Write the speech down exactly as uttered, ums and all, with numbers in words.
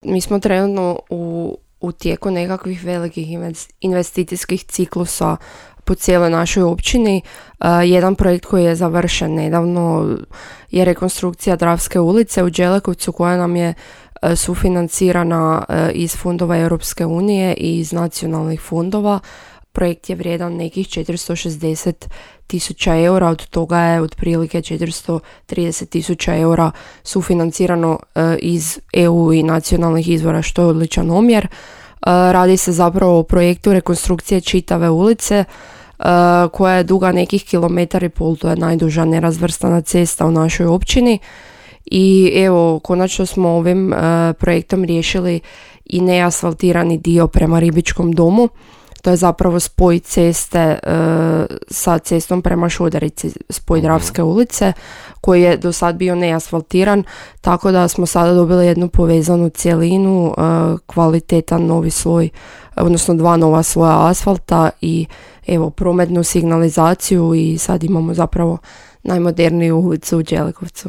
Mi smo trenutno u, u tijeku nekakvih velikih investicijskih ciklusa po cijeloj našoj općini. Uh, jedan projekt koji je završen nedavno je rekonstrukcija Dravske ulice u Đelekovcu koja nam je uh, sufinancirana uh, iz fondova Europske unije i iz nacionalnih fondova. Projekt je vrijedan nekih četiristo šezdeset tisuća eura, od toga je otprilike četiristo trideset tisuća eura sufinancirano uh, iz E U i nacionalnih izvora, što je odličan omjer. Uh, radi se zapravo o projektu rekonstrukcije čitave ulice, Uh, koja je duga nekih kilometar i pol, to je najduža nerazvrstana cesta u našoj općini. I evo, konačno smo ovim uh, projektom riješili i neasfaltirani dio prema Ribičkom domu. To je zapravo spoj ceste uh, sa cestom prema Šudarici, spoj Dravske ulice, koji je do sad bio neasfaltiran, tako da smo sada dobili jednu povezanu cjelinu, uh, kvalitetan novi sloj, odnosno dva nova sloja asfalta i evo prometnu signalizaciju i sad imamo zapravo najmoderniju ulicu u Đelekovcu.